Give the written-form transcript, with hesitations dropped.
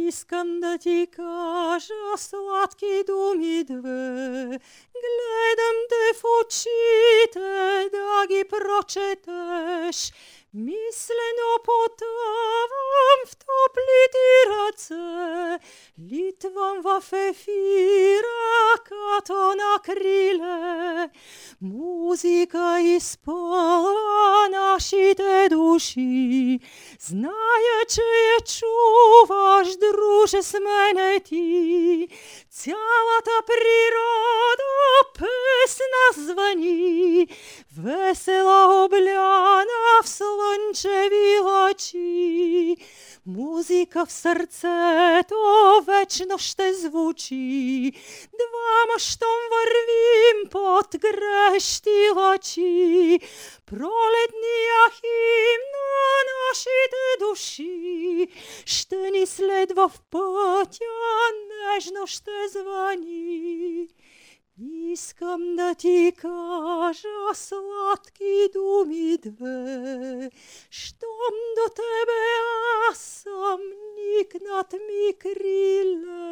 Искам да ти кажа сладки думи две, гледам те в очите да ги прочетеш. Мислено потъвам в топли ти ръце, литвам в ефира като на криле. Музика изпълва нашите души, зная, че я чуваш, друже, с мене ти. Цялата природа песна звъни, весела обляна в слънчеви лъчи. Музика в сърцето вечно ще звучи, двама щом вървим под грещи лъчи. Пролетния химн на нашите души ще ни следва в пътя, нежно ще звъни. Искам да ти кажа сладки думи две, щом до тебе аз съм, никнат ми криле.